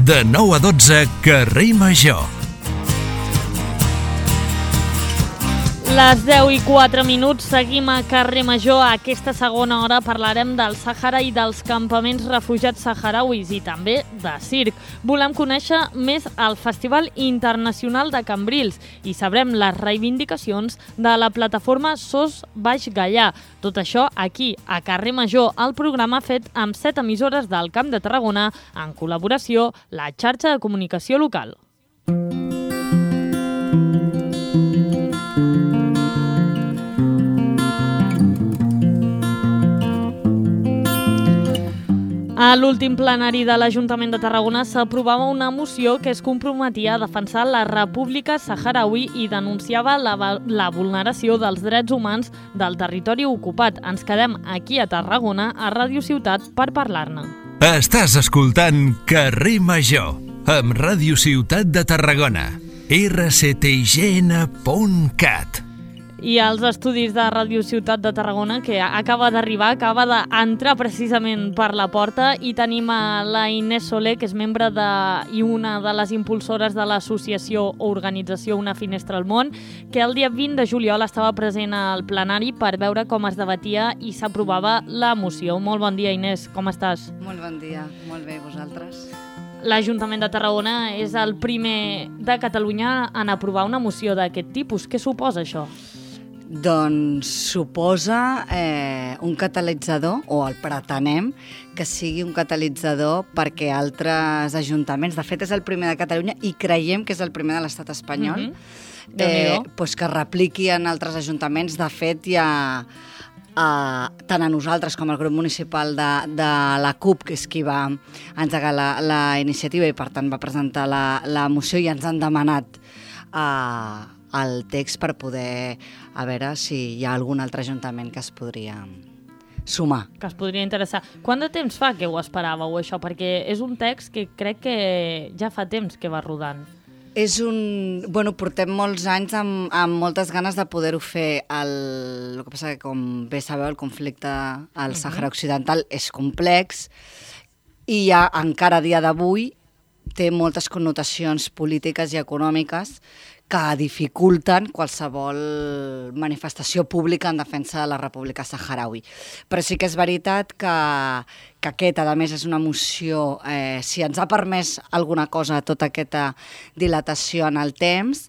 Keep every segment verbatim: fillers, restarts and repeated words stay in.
De nou a dotze, Carrer Major. Les deu i quatre minuts, seguim a Carrer Major. A aquesta segona hora parlarem del Sàhara i dels campaments refugiats saharauis i també de circ. Volem conèixer més el Festival Internacional de Cambrils i sabrem les reivindicacions de la plataforma Sos Baix Gaià. Tot això aquí, a Carrer Major, el programa fet amb set emissores del Camp de Tarragona en col·laboració la xarxa de comunicació local. A l'últim plenari de l'Ajuntament de Tarragona s'aprovava una moció que es comprometia a defensar la República Saharaui i denunciava la, la vulneració dels drets humans del territori ocupat. Ens quedem aquí a Tarragona, a Ràdio Ciutat, per parlar-ne. Estàs escoltant Carrer Major, amb Ràdio Ciutat de Tarragona, erre ce te i ge ene punt cat. I als estudis de Ràdio Ciutat de Tarragona, que acaba d'arribar, acaba d'entrar precisament per la porta, i tenim a la Inés Soler, que és membre de, i una de les impulsores de l'associació o organització Una Finestra al Món, que el dia vint de juliol estava present al plenari per veure com es debatia i s'aprovava la moció. Molt bon dia, Inés, com estàs? Molt bon dia, molt bé, vosaltres? L'Ajuntament de Tarragona és el primer de Catalunya en aprovar una moció d'aquest tipus. Què suposa això? Doncs suposa eh, un catalitzador, o el pretenem, que sigui un catalitzador perquè altres ajuntaments, de fet és el primer de Catalunya i creiem que és el primer de l'estat espanyol, mm-hmm. eh, doncs que repliqui en altres ajuntaments. De fet, hi ha eh, tant a nosaltres com al grup municipal de, de la CUP, que és qui va engegar la, la iniciativa i per tant va presentar la, la moció, i ens han demanat eh, el text per poder a veure si hi ha algun altre ajuntament que es podria sumar. Que es podria interessar. Quant de temps fa que ho esperàveu, això? Perquè és un text que crec que ja fa temps que va rodant. És un... Bueno, portem molts anys amb, amb moltes ganes de poder-ho fer. El, el que passa que, com bé sabeu, el conflicte al Sàhara Occidental és complex i ja encara a dia d'avui té moltes connotacions polítiques i econòmiques que dificulten qualsevol manifestació pública en defensa de la República Saharaui. Però sí que és veritat que, que aquest, a més, és una moció, eh, si ens ha permès alguna cosa tota aquesta dilatació en el temps,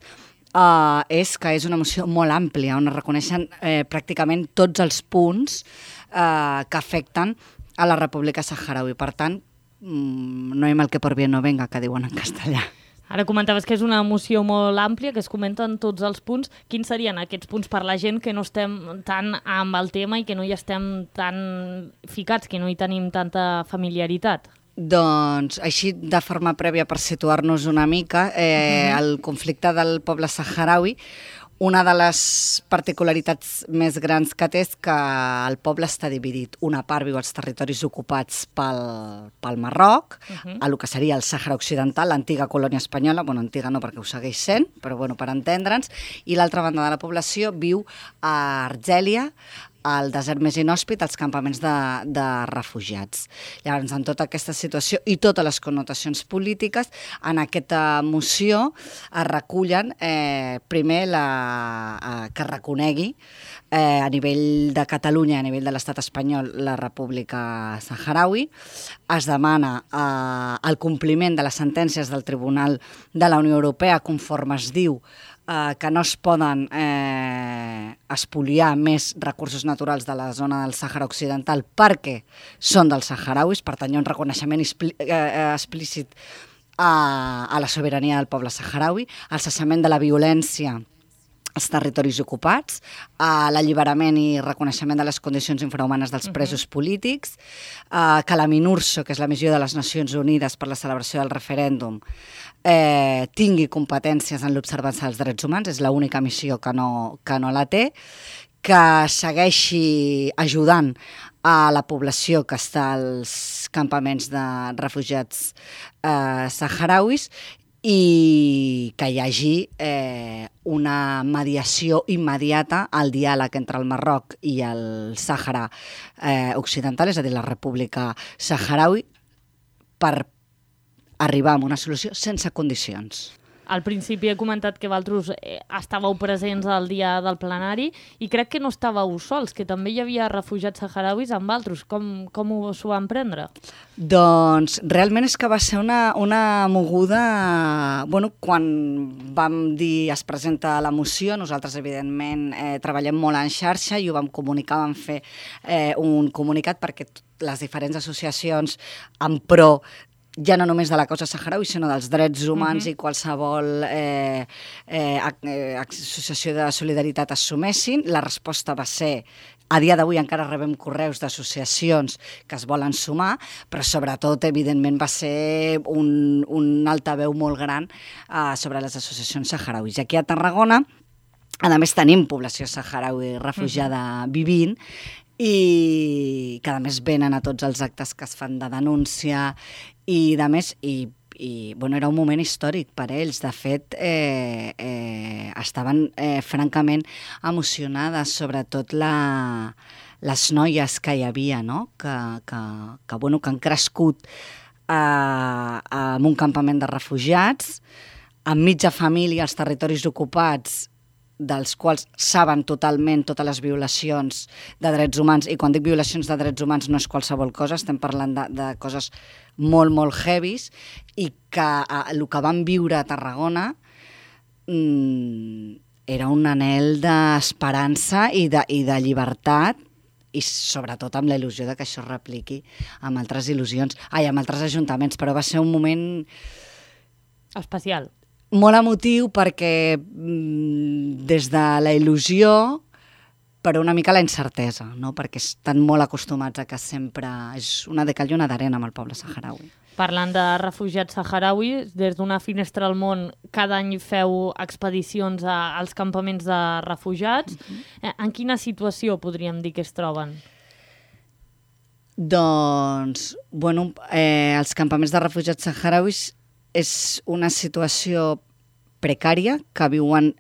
eh, és que és una moció molt àmplia, on es reconeixen eh, pràcticament tots els punts eh, que afecten a la República Saharaui. Per tant, no hay mal que por bien no venga, que diuen en castellà. Ara comentaves que és una moció molt àmplia, que es comenten tots els punts. Quins serien aquests punts per la gent que no estem tan amb el tema i que no hi estem tan ficats, que no hi tenim tanta familiaritat? Doncs, així, de forma prèvia, per situar-nos una mica, eh, uh-huh. el conflicte del poble saharaui, una de les particularitats més grans que té és que el poble està dividit. Una part viu als territoris ocupats pel, pel Marroc, uh-huh. a lo que seria el Sàhara Occidental, l'antiga colònia espanyola, bueno, antiga no perquè ho segueix sent, però bueno, per entendre'ns, i l'altra banda de la població viu a Argèlia, al desert més inhòspit, als campaments de, de refugiats. Llavors, en tota aquesta situació i totes les connotacions polítiques, en aquesta moció es recullen, eh, primer, la, eh, que reconegui eh, a nivell de Catalunya, a nivell de l'estat espanyol, la República Saharaui. Es demana eh, el compliment de les sentències del Tribunal de la Unió Europea, conforme es diu Uh, que no es poden eh, espoliar més recursos naturals de la zona del Sàhara Occidental perquè són dels saharauis, per tant hi ha un reconeixement expli- eh, explícit a, a la sobirania del poble saharaui, el cessament de la violència als territoris ocupats, a l'alliberament i reconeixement de les condicions infrahumanes dels presos uh-huh. polítics, uh, que la MINURSO, que és la missió de les Nacions Unides per la celebració del referèndum, eh, tingui competències en l'observança dels drets humans, és l'única missió que no, que no la té, que segueixi ajudant a la població que està als campaments de refugiats eh, saharauis, i que hi hagi eh, una mediació immediata al diàleg entre el Marroc i el Sàhara eh, Occidental, és a dir, la República Saharaui, per arribar a una solució sense condicions. Al principi he comentat que vosaltres eh, estàveu presents al dia del plenari i crec que no estàveu sols, que també hi havia refugiats saharauis amb vosaltres. Com, com s'ho van prendre? Doncs realment és que va ser una, una moguda... Bueno, quan vam dir es presenta la moció, nosaltres evidentment eh, treballem molt en xarxa i ho vam comunicar, vam fer eh, un comunicat perquè les diferents associacions en pro ja no només de la causa saharaui, sinó dels drets humans uh-huh. i qualsevol eh, eh, eh, associació de solidaritat assumessin. La resposta va ser, a dia d'avui encara rebem correus d'associacions que es volen sumar, però sobretot, evidentment, va ser un, un altaveu molt gran eh, sobre les associacions saharauis. I aquí a Tarragona, a més, tenim població saharaui refugiada uh-huh. vivint, i que a més venen a tots els actes que es fan de denúncia i de més, i, i bueno, era un moment històric per ells. De fet, eh, eh, estaven eh, francament emocionades, sobretot la, les noies que hi havia, no? que, que, que, bueno, que han crescut eh, en un campament de refugiats, amb mitja família als territoris ocupats, dels quals saben totalment totes les violacions de drets humans, i quan dic violacions de drets humans no és qualsevol cosa, estem parlant de, de coses molt, molt heavies, i que eh, el que van viure a Tarragona mm, era un anhel d'esperança i de, i de llibertat, i sobretot amb la il·lusió de que això es repliqui amb altres il·lusions, ai, amb altres ajuntaments, però va ser un moment especial. Molt emotiu perquè mm, des de la il·lusió, però una mica la incertesa, no? Perquè estan molt acostumats a que sempre és una de cal i una d'arena amb el poble saharaui. Parlant de refugiats saharauis, des d'una finestra al món cada any feu expedicions a, als campaments de refugiats. Uh-huh. En quina situació podríem dir que es troben? Doncs, bueno, eh, els campaments de refugiats saharauis és una situació precària que viuen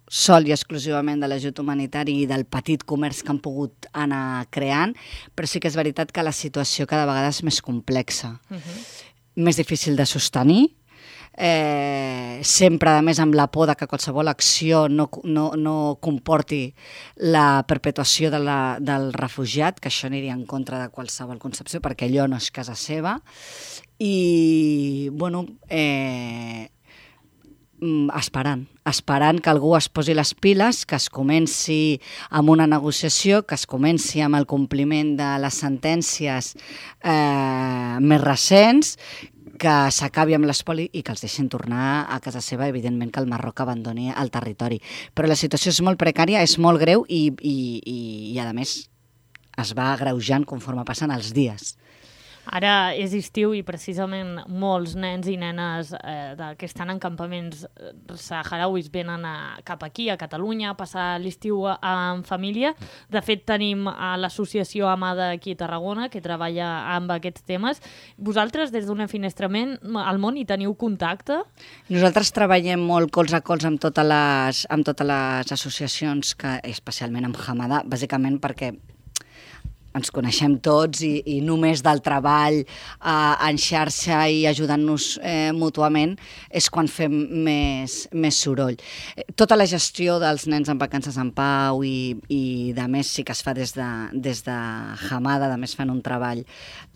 sol i exclusivament de l'ajut humanitari i del petit comerç que han pogut anar creant, però sí que és veritat que la situació cada vegada és més complexa, uh-huh. més difícil de sostenir, eh, sempre, a més, amb la por de que qualsevol acció no, no, no comporti la perpetuació de la, del refugiat, que això aniria en contra de qualsevol concepció, perquè allò no és casa seva. I, bueno, eh, esperant, esperant que algú es posi les piles, que es comenci amb una negociació, que es comenci amb el compliment de les sentències eh, més recents, que s'acabi amb l'espoli i que els deixin tornar a casa seva, evidentment que el Marroc abandoni el territori. Però la situació és molt precària, és molt greu i, i, i, i a més, es va agreujant conforme passen els dies. Ara és estiu i precisament molts nens i nenes eh, de, que estan en campaments saharauis venen a, cap aquí, a Catalunya, a passar l'estiu en família. De fet, tenim a l'associació Amada aquí a Tarragona, que treballa amb aquests temes. Vosaltres, des d'una finestrament al món, hi teniu contacte? Nosaltres treballem molt colze a colze amb totes les, amb totes les associacions, que, especialment amb Amada, bàsicament perquè ens coneixem tots i, i només del treball eh, en xarxa i ajudant-nos eh, mútuament és quan fem més, més soroll. Tota la gestió dels nens en vacances en pau i, i de més sí que es fa des de, des de Hamada, de més fan un treball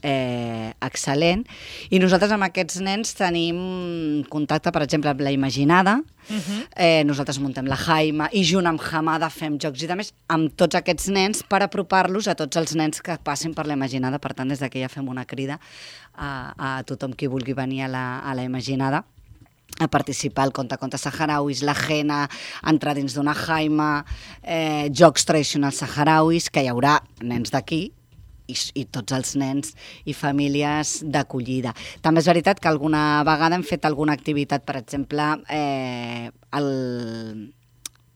eh, excel·lent. I nosaltres amb aquests nens tenim contacte, per exemple, amb la Imaginada. Uh-huh. eh, nosaltres muntem la Jaima i junt amb Hamada fem jocs i de més amb tots aquests nens per apropar-los a tots els nens que passin per la Imaginada. Per tant, des d'aquí ja fem una crida a, a tothom qui vulgui venir a la, a la Imaginada a participar al Contacontes Saharauis, la Jena, entrar dins d'una Jaima, eh, jocs tradicionals saharauis, que hi haurà nens d'aquí i, i tots els nens i famílies d'acollida. També és veritat que alguna vegada hem fet alguna activitat, per exemple, eh, el...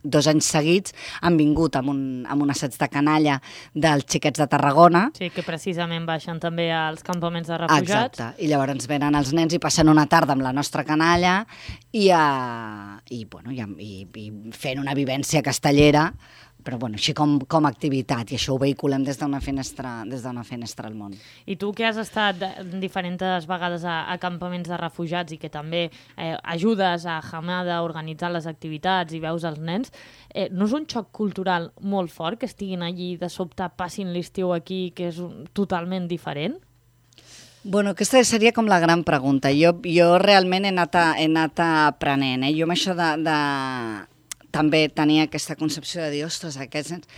dos anys seguits han vingut amb un, amb un assaig de canalla dels xiquets de Tarragona. Sí, que precisament baixen també als campaments de refugiats. Exacte, i llavors venen els nens i passen una tarda amb la nostra canalla i, uh, i, bueno, i, i, i fent una vivència castellera però bueno, així com, com a activitat, i això ho vehiculem des d'una finestra, des d'una finestra al món. I tu que has estat diferents vegades a, a campaments de refugiats i que també eh, ajudes a Hamada a organitzar les activitats i veus els nens, eh, no és un xoc cultural molt fort que estiguin allí de sobte passin l'estiu aquí, que és un, totalment diferent? Bueno, aquesta seria com la gran pregunta. Jo, jo realment he anat, a, he anat aprenent. Eh? Jo amb això de, de... també tenia aquesta concepció de dir, ostres, aquests nens...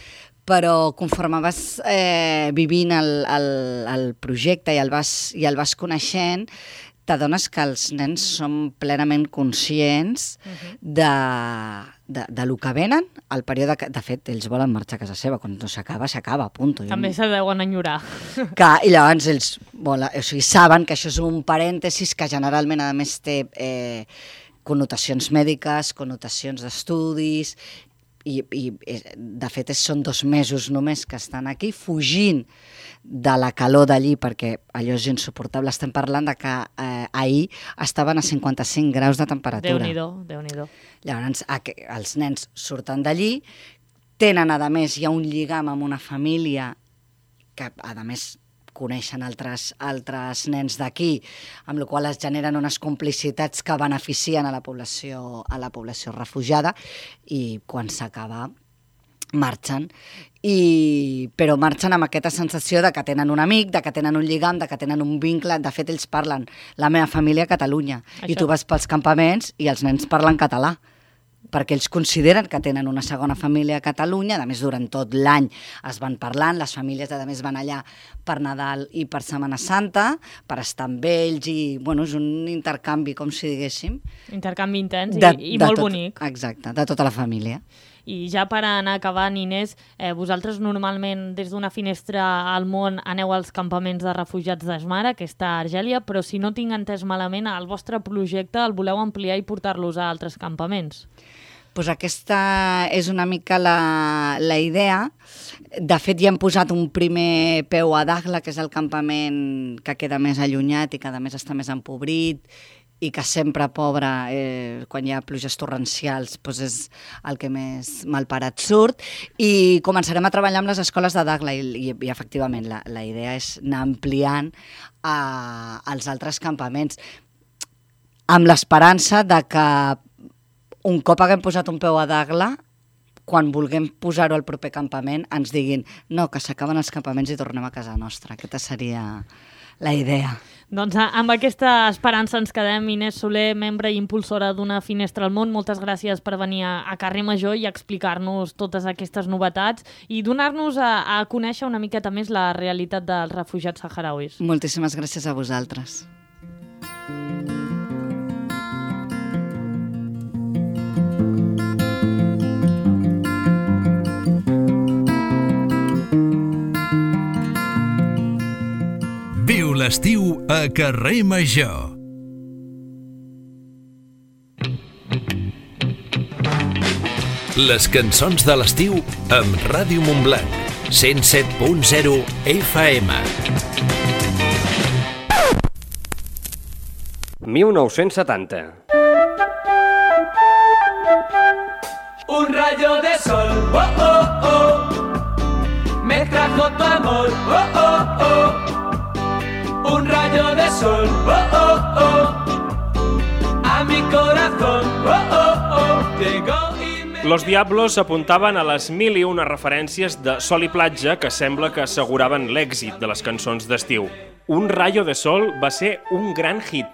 Però conforme vas eh, vivint el, el, el projecte i el vas, i el vas coneixent, t'adones que els nens són plenament conscients uh-huh. de, de, de lo que venen, el període que, de fet, ells volen marxar a casa seva, quan no s'acaba, s'acaba, punt. També se deuen enyorar. Que, I llavors ells volen, o sigui, saben que això és un parèntesis que generalment, a més, té eh, connotacions mèdiques, connotacions d'estudis, i, i de fet són dos mesos només que estan aquí, fugint de la calor d'allí, perquè allò és insuportable. Estem parlant de que eh, ahir estaven a cinquanta-cinc graus de temperatura. Déu-n'hi-do, Déu-n'hi-do. Llavors, els nens surten d'allí, tenen, a més, hi ha un lligam amb una família que, a més, coneixen altres, altres nens d'aquí, amb la qual es generen unes complicitats que beneficien a la població, a la població refugiada, i quan s'acaba marxen, i, però marxen amb aquesta sensació de que tenen un amic, de que tenen un lligam, de que tenen un vincle. De fet, ells parlen la meva família a Catalunya. Això. I tu vas pels campaments i els nens parlen català, perquè ells consideren que tenen una segona família a Catalunya. A més, durant tot l'any es van parlant, les famílies a més van allà per Nadal i per Setmana Santa, per estar amb ells, i bueno, és un intercanvi, com si diguéssim. Intercanvi intens de, i, i molt tot, bonic. Exacte, de tota la família. I ja per anar acabant, Inés, eh, vosaltres normalment des d'una finestra al món aneu als campaments de refugiats d'Esmara, que està a Argèlia, però si no tinc entès malament, el vostre projecte el voleu ampliar i portar-los a altres campaments. Pues aquesta és una mica la, la idea. De fet, ja hem posat un primer peu a Dakhla, que és el campament que queda més allunyat i que a més està més empobrit, i que sempre, pobre, eh, quan hi ha pluges torrencials, doncs és el que més malparat surt, i començarem a treballar amb les escoles de Dakhla, i, i, i efectivament la, la idea és anar ampliant a, als altres campaments, amb l'esperança de que un cop haguem posat un peu a Dakhla, quan vulguem posar-ho al proper campament, ens diguin no, que s'acaben els campaments i tornem a casa nostra. Aquesta seria la idea. Doncs amb aquesta esperança ens quedem. Inés Soler, membre i impulsora d'Una Finestra al Món, moltes gràcies per venir a, a Carrer Major i explicar-nos totes aquestes novetats i donar-nos a, a conèixer una miqueta més la realitat dels refugiats saharauis. Moltíssimes gràcies a vosaltres. Viu l'estiu a Carrer Major. Les cançons de l'estiu amb Ràdio Montblanc, cent set punt zero F M. mil nou-cents setanta. Un rayo de sol, oh, oh, oh, me trajo tu amor, oh, oh, oh. Un rayo de sol, oh, oh, oh, a mi corazón, oh, oh, oh, llegó y me... Los Diablos apuntaven a les mil i una referències de Sol i Platja que sembla que asseguraven l'èxit de les cançons d'estiu. Un rayo de sol va ser un gran hit.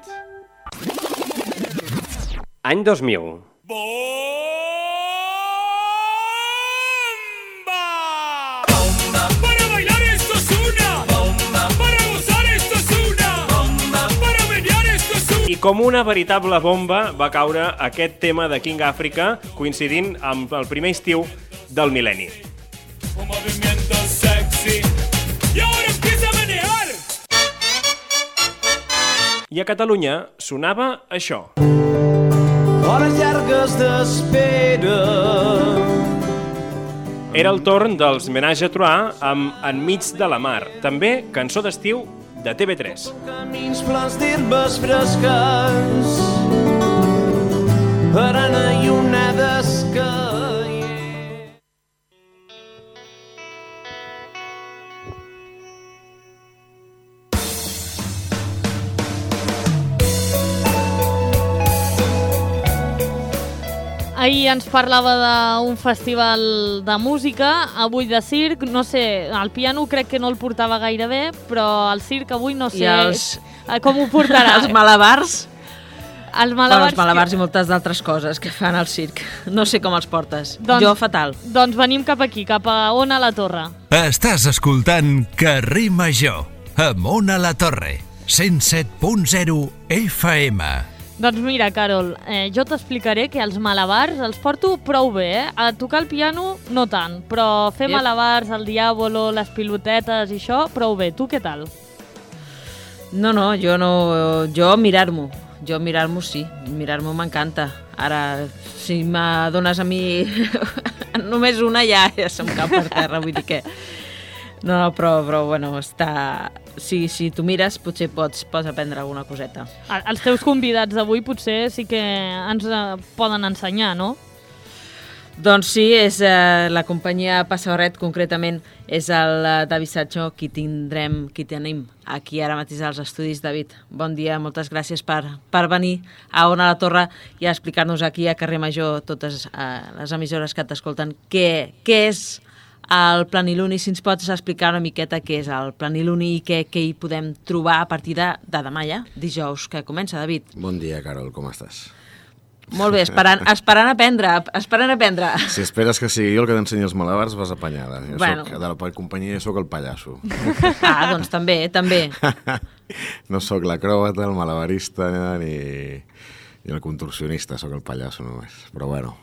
Any dos mil. I com una veritable bomba va caure aquest tema de King Africa, coincidint amb el primer estiu del mil·lenni. I a Catalunya sonava això. Hores llargues d'espera. Era el torn dels Menage à Trois amb Enmig de la mar, també cançó d'estiu de T V tres. Camins plans d'herbes fresques, arena i onades que... ahir ens parlava d'un festival de música, avui de circ, no sé, el piano crec que no el portava gaire bé, però el circ avui no sé els... com ho portarà. Els malabars? Els malabars, bueno, els malabars que... i moltes d'altres coses que fan al circ. No sé com els portes. Doncs, jo, fatal. Doncs venim cap aquí, cap a Ona la Torre. Estàs escoltant Carrer Major, amb Ona la Torre, cent set punt zero F M. Doncs mira, Carol, eh, jo t'explicaré que els malabars els porto prou bé, eh? A tocar el piano no tant, però fer yep. malabars, el diàbolo, les pilotetes i això, prou bé. Tu què tal? No, no, jo no... Jo mirar-m'ho. Jo mirar-m'ho sí, mirar-m'ho m'encanta. Ara, si me dones a mi només una, ja, ja se'm cau per terra, vull dir que... No, no, però, però bueno, està... Si, si tu mires, potser pots, pots aprendre alguna coseta. Els teus convidats d'avui potser sí que ens eh, poden ensenyar, no? Doncs sí, és eh, la companyia Passabarret, concretament, és el eh, David Satxó qui tindrem, qui tenim aquí ara mateix als estudis. David, bon dia, moltes gràcies per, per venir a Ona la Torre i a explicar-nos aquí a Carrer Major, totes eh, les emissores que t'escolten, què, què és el Planiluni. Si ens pots explicar una miqueta què és el Planiluni i què, què hi podem trobar a partir de, de demà ja, dijous, que comença, David. Bon dia, Carol, com estàs? Molt bé, esperant, esperant aprendre, esperant aprendre. Si esperes que sigui jo el que t'ensenyi els malabars, vas apanyada. Jo bueno. soc, de la companyia sóc el pallasso. Ah, doncs també, també. No sóc l'acròbata, el malabarista, ni, ni el contorsionista, sóc el pallasso només. Però bueno...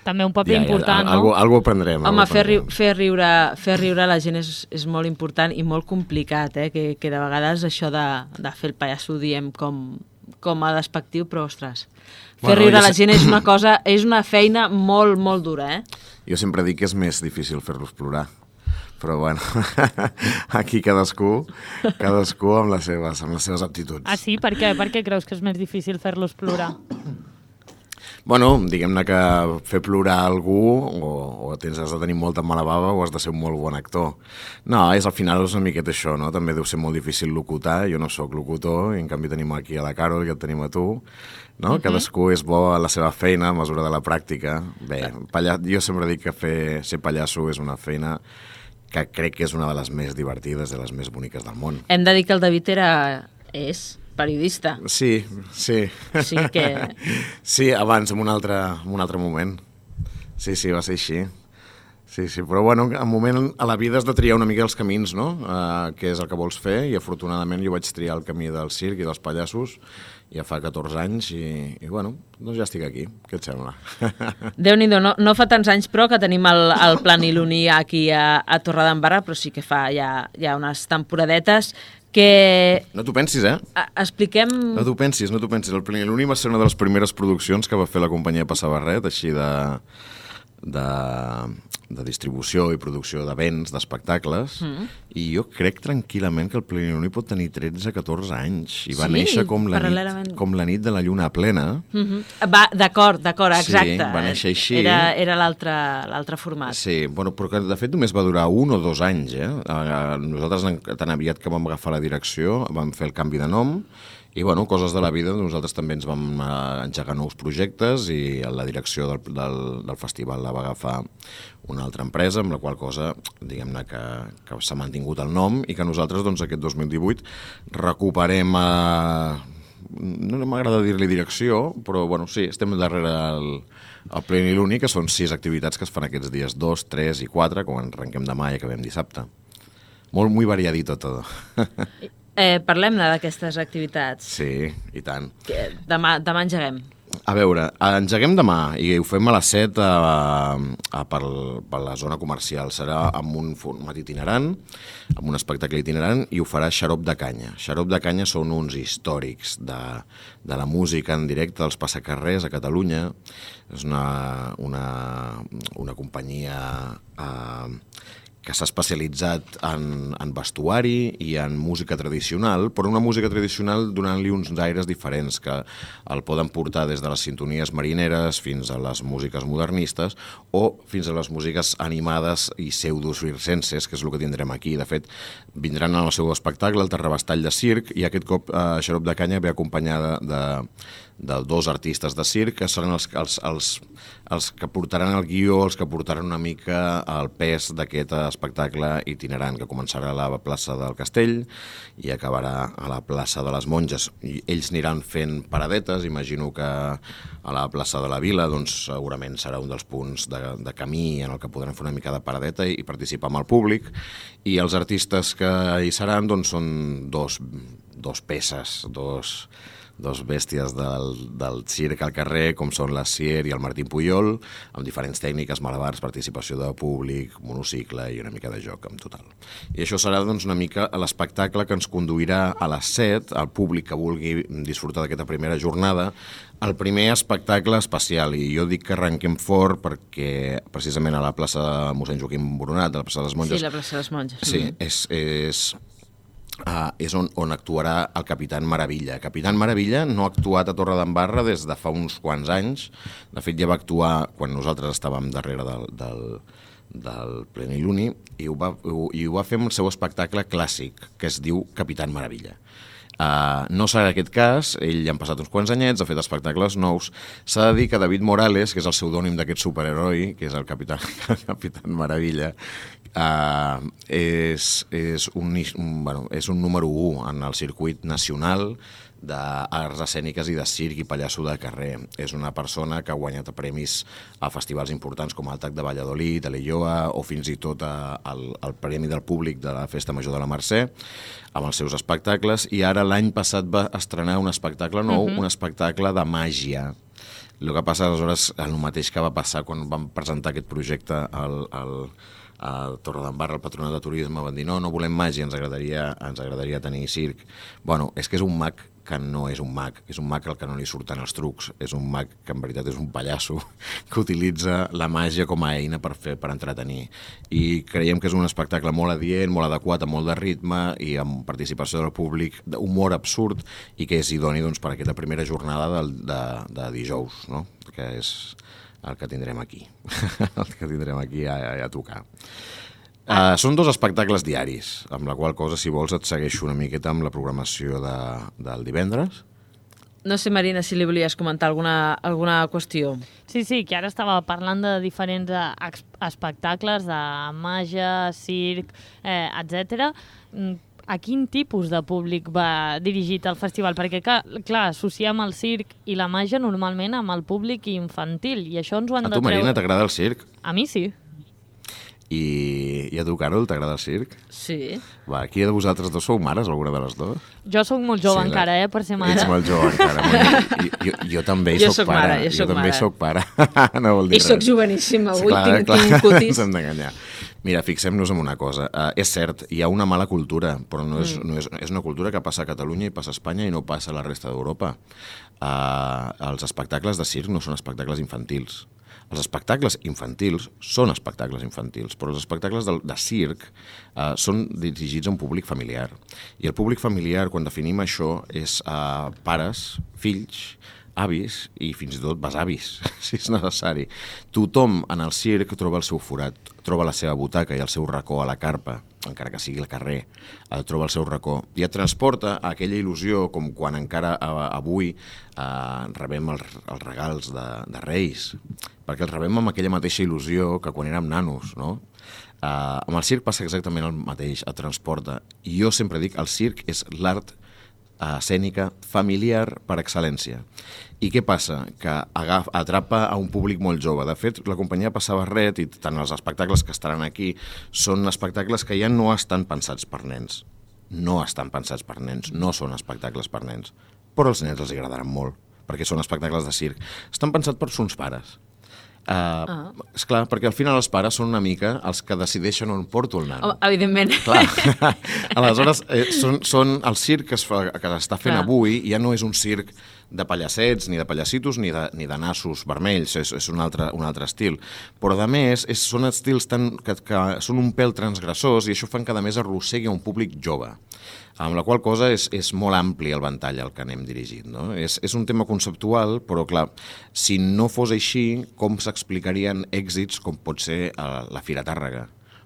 També un paper ja, important, ja, algo, no? Algo aprendrem. Home, algo fer, riu, aprendrem. fer, riure, fer riure la gent és, és molt important i molt complicat, eh? que, que de vegades això de, de fer el pallasso ho diem com, com a despectiu, però ostres... Fer bueno, riure la gent és una cosa, és una feina molt, molt dura, eh? Jo sempre dic que és més difícil fer-los plorar, però bueno, aquí cadascú, cadascú amb les seves, amb les seves aptituds. Ah, sí? Per què? Per què creus que és més difícil fer-los plorar? Bueno, diguem-ne que fer plorar algú o, o tens, has de tenir molta mala bava o has de ser un molt bon actor. No, és al final és una miqueta això, no? També deu ser molt difícil locutar, jo no sóc locutor, i en canvi tenim aquí a la Carol i et tenim a tu, no? Uh-huh. Cadascú és bo a la seva feina a mesura de la pràctica. Bé, palla... jo sempre dic que fer, ser pallasso és una feina que crec que és una de les més divertides, de les més boniques del món. Hem de dir que el David era... és... periodista. Sí, sí. Sí que... Sí, abans, en un altre, en un altre moment. Sí, sí, va ser així. Sí, sí, però bueno, en un moment a la vida has de triar una mica els camins, no? Uh, què és el que vols fer, i afortunadament jo vaig triar el camí del circ i dels pallassos ja fa catorze anys i, i bueno, doncs ja estic aquí. Què et sembla? Déu-n'hi-do, no, no fa tants anys però que tenim el, el Planiluni aquí a, a Torredembarra, però sí que fa ja, ja unes temporadetes que... No t'ho pensis, eh? Expliquem... No t'ho pensis, no t'ho pensis. El Planiluni va ser una de les primeres produccions que va fer la companyia Passabarret, així de... de, de distribució i producció de béns, d'espectacles, mm. i jo crec tranquil·lament que el Planiluni pot tenir tretze a catorze anys, i va sí, néixer com la, nit, com la nit de la lluna plena. Mm-hmm. Va, d'acord, d'acord, exacte. Sí, va néixer així. Era, era l'altre format. Sí, bueno, però que de fet només va durar un o dos anys, eh? Nosaltres, tan aviat que vam agafar la direcció, vam fer el canvi de nom, i, bueno, coses de la vida, nosaltres també ens vam uh, engegar nous projectes i la direcció del, del, del festival la va agafar una altra empresa, amb la qual cosa, diguem-ne, que, que s'ha mantingut el nom i que nosaltres, doncs, aquest dos mil divuit recuperem, uh, no m'agrada dir-li direcció, però, bueno, sí, estem darrere el, el Planiluni, que són sis activitats que es fan aquests dies dos, tres i quatre, quan arrenquem demà i acabem dissabte. Molt, muy variadito todo. Eh, Parlem-ne d'aquestes activitats. Sí, i tant. Que demà, demà engeguem. A veure, engeguem demà i ho fem a les set a, a, per, per la zona comercial. Serà amb un format itinerant, amb un espectacle itinerant, i ho farà Xarop de Canya. Xarop de Canya són uns històrics de, de la música en directe dels passacarrers a Catalunya. És una, una, una companyia... Eh, que s'ha especialitzat en, en vestuari i en música tradicional, però una música tradicional donant-li uns aires diferents, que el poden portar des de les sintonies marineres fins a les músiques modernistes o fins a les músiques animades i pseudo-circenses, que és el que tindrem aquí. De fet, vindran al seu espectacle, el Terrabastall de Circ, i aquest cop eh, Xarop de Canya ve acompanyada de, de dos artistes de circ, que seran els, els, els, els que portaran el guió, els que portaran una mica el pes d'aquest espectacle itinerant, que començarà a la plaça del Castell i acabarà a la plaça de les Monges. I ells aniran fent paradetes, imagino que a la plaça de la Vila doncs, segurament serà un dels punts de, de camí en el que podran fer una mica de paradeta i, i participar amb el públic, i els artistes que hi seran doncs, són dos, dos peces, dos... dos bèsties del, del circ al carrer, com són la Sier i el Martín Pujol, amb diferents tècniques, malabars, participació de públic, monocicle i una mica de joc en total. I això serà doncs, una mica l'espectacle que ens conduirà a les set, al públic que vulgui disfrutar d'aquesta primera jornada, el primer espectacle especial. I jo dic que arrenquem fort perquè precisament a la plaça Mossèn Joaquim Boronat, a la plaça de les Monges... Sí, la plaça de les Monges. Sí, és... és Uh, és on, on actuarà el Capitán Maravilla. Capitán Maravilla no ha actuat a Torredembarra des de fa uns quants anys. De fet, ja va actuar quan nosaltres estàvem darrere del, del, del Pleniluni i ho, va, ho, i ho va fer amb el seu espectacle clàssic, que es diu Capitán Maravilla. Uh, no serà aquest cas, ell ja han passat uns quants anyets, ha fet espectacles nous. S'ha de dir que David Morales, que és el pseudònim d'aquest superheroi, que és el Capitán, el Capitán Maravilla, uh, és, és, un, un, bueno, és un número u en el circuit nacional d'arts escèniques i de circ i pallasso de carrer. És una persona que ha guanyat premis a festivals importants com el Tac de Valladolid, a l'Elloa, o fins i tot a, al, al Premi del Públic de la Festa Major de la Mercè, amb els seus espectacles, i ara l'any passat va estrenar un espectacle nou, uh-huh. un espectacle de màgia. El que passa, aleshores, el mateix que va passar quan vam presentar aquest projecte al, al, a Torredembarra, el Patronat de Turisme, van dir no, no volem màgia, ens agradaria, ens agradaria tenir circ. Bueno, és que és un mag que no és un mag, és un mag al que no li surten els trucs, és un mag que en veritat és un pallasso que utilitza la màgia com a eina per fer, per entretenir. I creiem que és un espectacle molt adient, molt adequat, amb molt de ritme i amb participació del públic, d'humor absurd, i que és idoni doncs, per aquesta primera jornada de, de, de dijous, no? Que és el que tindrem aquí, el que tindrem aquí a, a, a tocar. Uh, són dos espectacles diaris, amb la qual cosa, si vols, et segueixo una miqueta amb la programació de, del divendres. No sé, Marina, si li volies comentar alguna, alguna qüestió. Sí, sí, que ara estava parlant de diferents eh, espectacles, de màgia, circ, eh, etcètera. A quin tipus de públic va dirigit el festival? Perquè, clar, clar, associem el circ i la màgia normalment amb el públic infantil, i això ens ho han de treure... A tu, Marina, t'agrada el circ? A mi sí. I, I a tu, Carol, t'agrada el circ? Sí. Va, qui de vosaltres dos sou mares, alguna de les dues? Jo sóc molt jove sí, encara, eh, per ser mare. Ets molt jove encara. jo, jo, jo també jo soc, soc pare. mare. Jo, jo soc també mare. soc pare. no vol dir I res. soc joveníssima, avui clar, tinc, clar, tinc cutis. Ens hem d'enganyar. Mira, fixem-nos en una cosa. Uh, és cert, hi ha una mala cultura, però no és, mm. no és, és una cultura que passa a Catalunya i passa a Espanya i no passa a la resta d'Europa. Uh, els espectacles de circ no són espectacles infantils. Els espectacles infantils són espectacles infantils, però els espectacles de, de circ uh, són dirigits a un públic familiar. I el públic familiar, quan definim això, és uh, pares, fills, avis i fins i tot besavis, si és necessari. Tothom en el circ troba el seu forat, troba la seva butaca i el seu racó a la carpa, encara que sigui al carrer, troba el seu racó i et transporta a aquella il·lusió com quan encara avui eh, rebem els, els regals de, de Reis, perquè els rebem amb aquella mateixa il·lusió que quan érem nanos, no? Eh, amb el circ passa exactament el mateix, et transporta. I jo sempre dic, el circ és l'art escènica familiar per excel·lència. I què passa? Que agafa, atrapa a un públic molt jove. De fet, la companyia Passa Barret i tant els espectacles que estaran aquí són espectacles que ja no estan pensats per nens. No estan pensats per nens, no són espectacles per nens. Però als nens els agradaran molt, perquè són espectacles de circ. Estan pensats per sons pares. Uh, ah. Esclar, perquè al final els pares són una mica els que decideixen on porto el nano. Oh, evidentment. Clar. Aleshores, eh, són, són el circ que es fa, que s'està fent Clar. avui, ja no és un circ de pallassets, ni de pallassitos, ni de, ni de nassos vermells, és, és un, altre, un altre estil. Però, a més, és, són estils tan, que, que són un pèl transgressors i això fan que, a més, arrossegui a un públic jove. Amb la qual cosa és, és molt ampli el ventall al que anem dirigit. No? És, és un tema conceptual, però clar, si no fos així, com s'explicarien èxits com pot ser uh, la Fira Tàrrega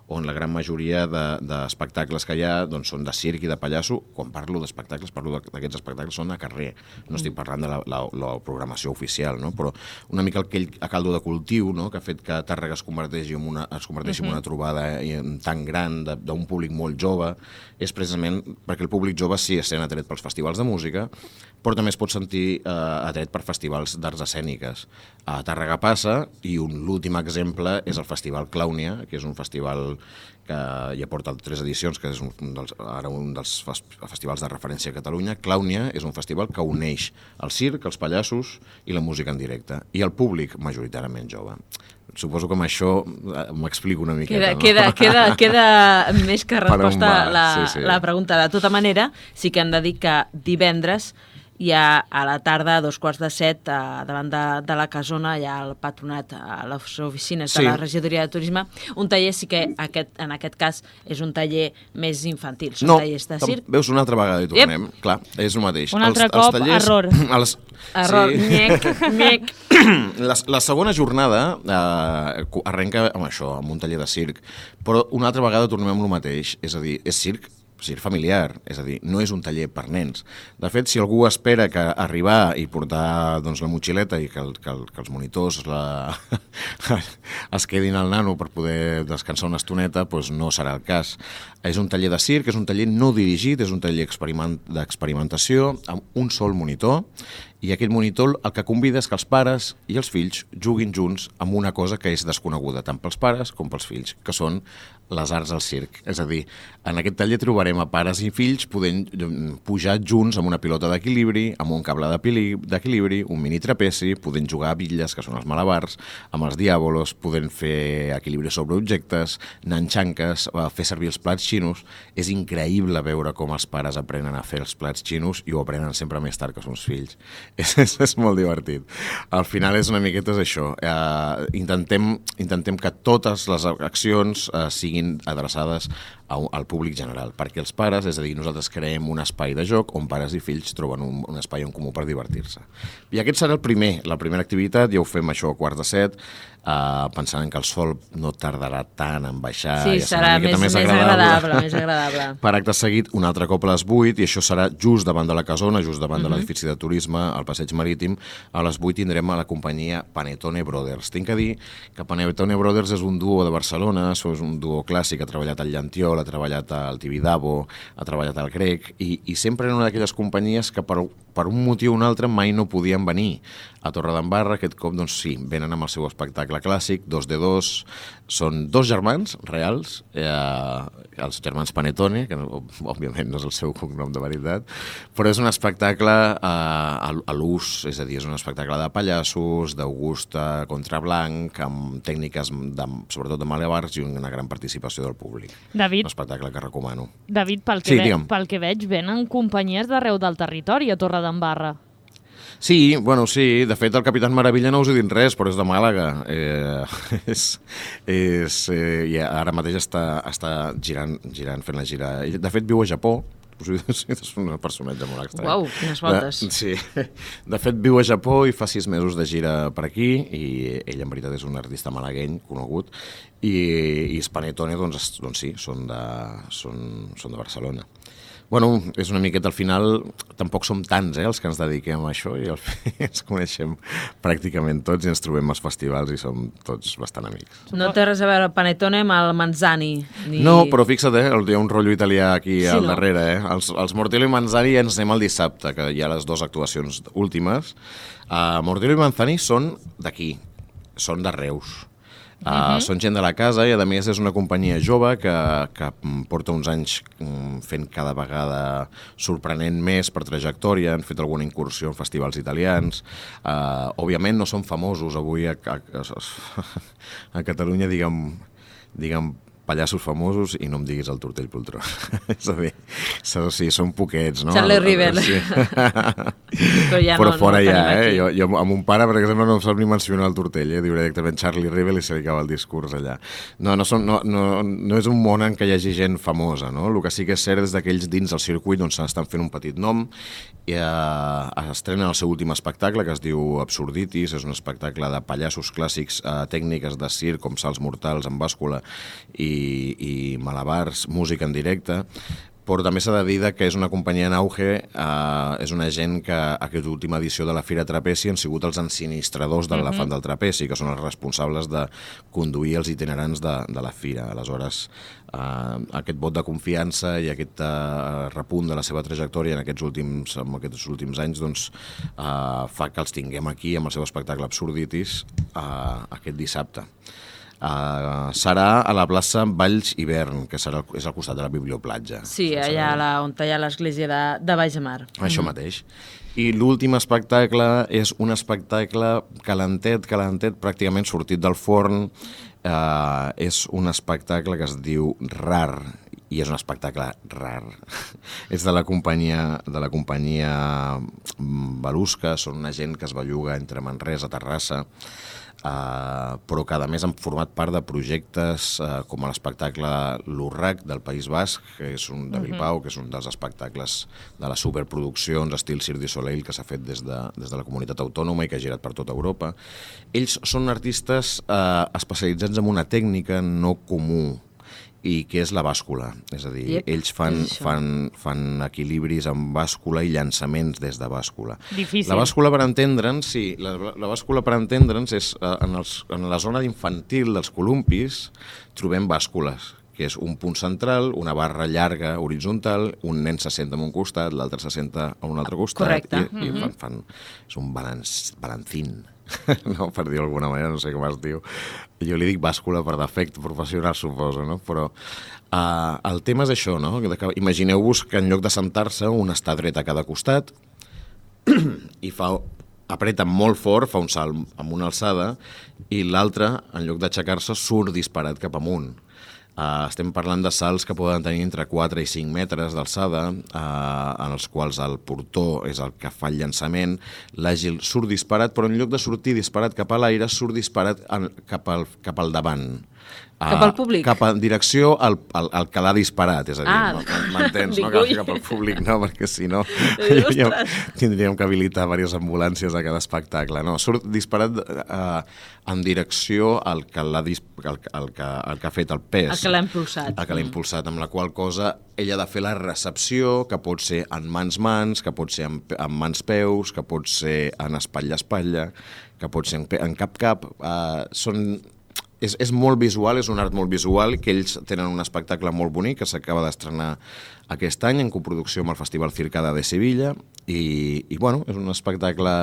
on la gran majoria d'espectacles que hi ha doncs, són de circ i de pallasso. Quan parlo d'espectacles, parlo d'aquests espectacles, són a carrer. No estic parlant de la, la, la programació oficial, no? Però una mica aquell caldo de cultiu, no? Que ha fet que Tàrrega es converteixi en una, es converteixi uh-huh. en una trobada tan gran d'un públic molt jove, és precisament perquè el públic jove sí es sent atret pels festivals de música, però també es pot sentir eh, atret per festivals d'arts escèniques. A Tàrrega passa, i l'últim exemple és el Festival Clàunia, que és un festival que ja porta tres edicions, que és un dels, ara un dels festivals de referència a Catalunya. Clàunia és un festival que uneix el circ, els pallassos i la música en directe, i el públic majoritàriament jove. Suposo que amb això m'explico una miqueta. Queda, no? queda, queda, queda més que resposta la, sí, sí. la pregunta. De tota manera, sí que hem de dir que divendres hi ha a la tarda, a dos quarts de set, a, davant de, de la Casona, hi ha el patronat, a les oficines sí. de la regidoria de turisme, un taller sí que aquest, en aquest cas és un taller més infantil, són no, tallers de circ. Veus, una altra vegada hi tornem, yep. Clar, és el mateix. Un altre els, cop, els tallers, error. Els, error, sí. nyec, nyec. La, la segona jornada eh, arrenca amb això, amb un taller de circ, però una altra vegada tornem amb el mateix, és a dir, és circ, circ familiar, és a dir, no és un taller per nens. De fet, si algú espera que arribar i portar doncs, la motxileta i que, el, que, el, que els monitors la... es quedin al nano per poder descansar una estoneta, doncs no serà el cas. És un taller de circ, és un taller no dirigit, és un taller experiment, d'experimentació amb un sol monitor, i aquest monitor el que convida és que els pares i els fills juguin junts amb una cosa que és desconeguda tant pels pares com pels fills, que són les arts al circ. És a dir, en aquest taller trobarem a pares i fills podent pujar junts amb una pilota d'equilibri, amb un cable d'equilibri, un mini trapeci, podent jugar a bitlles, que són els malabars, amb els diàbolos, podent fer equilibri sobre objectes, anar en xanques, fer servir els plats xinos. És increïble veure com els pares aprenen a fer els plats xinos i ho aprenen sempre més tard que són els fills. És, és, és molt divertit. Al final és una miqueta és això. Eh, intentem, intentem que totes les accions eh, siguin adreçades a, al públic general, perquè els pares, és a dir, nosaltres creem un espai de joc on pares i fills troben un, un espai en comú per divertir-se. I aquest serà el primer, la primera activitat, ja ho fem això a quarts de set, eh, pensant que el sol no tardarà tant en baixar. Sí, ja serà, serà més, més, més agradable. agradable, més agradable. Per acte seguit, un altre cop a les vuit, i això serà just davant de la Casona, just davant uh-huh. de l'edifici de turisme, al Passeig Marítim. A les vuit tindrem a la companyia Panettone Brothers. Tinc que dir que Panettone Brothers és un duo de Barcelona, és un duo clàssic, ha treballat al Llantiol, ha treballat al Tibidabo, ha treballat al Grec, i, i sempre eren una d'aquelles companyies que per, per un motiu o un altre mai no podien venir a Torredembarra. Aquest cop, doncs sí, venen amb el seu espectacle clàssic, dos de dos, són dos germans reals, eh, els germans Panettone, que no, òbviament no és el seu cognom de veritat, però és un espectacle eh, a, a l'ús, és a dir, és un espectacle de pallassos, d'Augusta contra Blanc, amb tècniques de, sobretot de malabars i una gran participació del públic. David, un espectacle que recomano. David, pel que, sí, ve, pel que veig, venen companyies d'arreu del territori a Torredembarra. Sí, bueno, sí. De fet, el Capitán Maravilla no us he dit res, però és de Màlaga. Eh, és, és, eh, i ara mateix està, està girant, girant, fent la gira. De fet, viu a Japó. És un personatge molt estrany. Uau, quines voltes. De, sí. De fet, viu a Japó i fa sis mesos de gira per aquí, i ell, en veritat, és un artista malagueny conegut, i, i Panettone, doncs, doncs sí, són de, són, són de Barcelona. Bueno, és una miqueta al final, tampoc som tants, eh, els que ens dediquem a això, i al final ens coneixem pràcticament tots i ens trobem als festivals i som tots bastant amics. No té res a veure Panettone amb el Manzani. Ni... No, però fixa't, eh, hi ha un rotllo italià aquí sí, al no? darrere. Eh? Els, els Mortello i Manzani ens anem el dissabte, que hi ha les dues actuacions últimes. Uh, Mortello i Manzani són d'aquí, són de Reus. Uh, uh-huh. Són gent de la casa i, a més, és una companyia jove que, que porta uns anys fent cada vegada sorprenent més per trajectòria. Han fet alguna incursió en festivals italians. Uh, òbviament no són famosos avui a, a, a, a Catalunya, diguem, diguem pallassos famosos, i no em diguis el Tortell Poltró. És a dir, sí, són poquets, no? Charlie River. Sí. Però, ja Però no, fora no ja, eh? aquí. Jo, jo amb un pare, per exemple, no em sap ni mencionar el Tortell, eh? Diu directament Charlie River i se li acaba el discurs allà. No, no, són, no, no, no és un món en què hi hagi gent famosa, no? El que sí que és cert és d'aquells dins del circuit on s'estan fent un petit nom, i eh, estrenen el seu últim espectacle, que es diu Absurditis. És un espectacle de pallassos clàssics, eh, tècniques de circ com salts mortals en bàscula i i malabars, música en directe, però també s'ha de dir que és una companyia en auge, eh, és una gent que aquesta última edició de la Fira Trapezi han sigut els ensinistradors de l'elefant del trapezi, que són els responsables de conduir els itinerants de, de la Fira. Aleshores, eh, aquest vot de confiança i aquest eh, repunt de la seva trajectòria en aquests últims, en aquests últims anys doncs, eh, fa que els tinguem aquí amb el seu espectacle Absurditis eh, aquest dissabte. Uh, serà a la plaça Valls Hivern, que serà, és al costat de la Biblioplatja. Sí, allà la, on hi ha l'església de, de Baix de Mar. Això mm. mateix. I l'últim espectacle és un espectacle calentet, calentet, pràcticament sortit del forn. Uh, és un espectacle que es diu Rar, i és un espectacle rar. És de la companyia de la companyia Balusca, són una gent que es belluga entre Manresa, Terrassa, Uh, però que a més han format part de projectes uh, com l'espectacle L'Urrac del País Basc, que és un de Bilbao, que és un dels espectacles de les superproduccions estil Cirque du Soleil que s'ha fet des de, des de la comunitat autònoma i que ha girat per tota Europa. Ells són artistes uh, especialitzats en una tècnica no comú, i que és la bàscula. És a dir, yep, ells fan, fan, fan equilibris amb bàscula i llançaments des de bàscula. Difícil. La bàscula, per entendre'ns, sí, la, la bàscula, per entendre'ns, és en, els, en la zona infantil dels columpis trobem bàscules, que és un punt central, una barra llarga horitzontal, un nen se senta en un costat, l'altre se senta a un altre costat. Correcte. I, mm-hmm. i fan, fan, és un balanç, balancín. No, per dir-ho d'alguna manera, no sé com es diu. Jo li dic bàscula per defecte professional, suposo, no? Però uh, el tema és això, no? Imagineu-vos que en lloc de sentar-se, un està dret a cada costat i fa, apreta molt fort, fa un salt amb una alçada, i l'altre, en lloc d'aixecar-se, surt disparat cap amunt. Uh, estem parlant de salts que poden tenir entre quatre i cinc metres d'alçada, uh, en els quals el portó és el que fa el llançament, l'àgil surt disparat, però en lloc de sortir disparat cap a l'aire, surt disparat en, cap, al, cap al davant. Cap al públic? Uh, cap en direcció al, al, al que l'ha disparat, és a dir, ah, m'entens, no cal cap al públic, no, perquè si no ja, tindríem que habilitar diverses ambulàncies a cada espectacle. No, surt disparat uh, en direcció al que, l'ha dis, al, al, que, al que ha fet el pes. El que l'ha impulsat. El que l'ha impulsat, amb la qual cosa ella ha de fer la recepció, que pot ser en mans-mans, que pot ser en, en mans-peus, que pot ser en espatlla-espatlla, que pot ser en, en cap-cap. Uh, són... És, és molt visual, és un art molt visual, que ells tenen un espectacle molt bonic que s'acaba d'estrenar aquest any en coproducció amb el Festival Circada de Sevilla i, i bueno, és un espectacle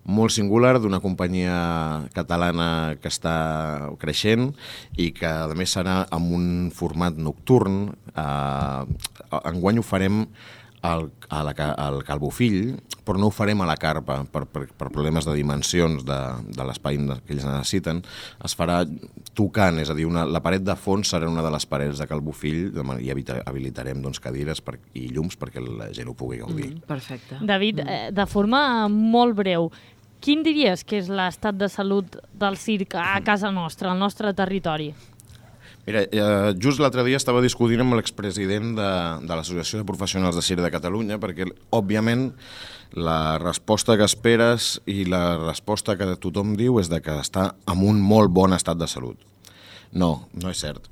molt singular d'una companyia catalana que està creixent i que a més serà amb un format nocturn. Eh, enguany ho farem al, a la, al Calbofill, però no ho farem a la carpa per, per, per problemes de dimensions de, de l'espai que ells necessiten. Es farà tocant, és a dir, una, la paret de fons serà una de les parets de Calbofill i habilitarem doncs, cadires per, i llums perquè la gent ho pugui gaudir. Mm, perfecte. David, eh, de forma molt breu, quin diries que és l'estat de salut del circ a casa nostra, al nostre territori? Mira, eh, just l'altre dia estava discutint amb l'expresident de, de l'Associació de Professionals de Circ de Catalunya perquè, òbviament, la resposta que esperes i la resposta que tothom diu és de que està en un molt bon estat de salut. No, no és cert.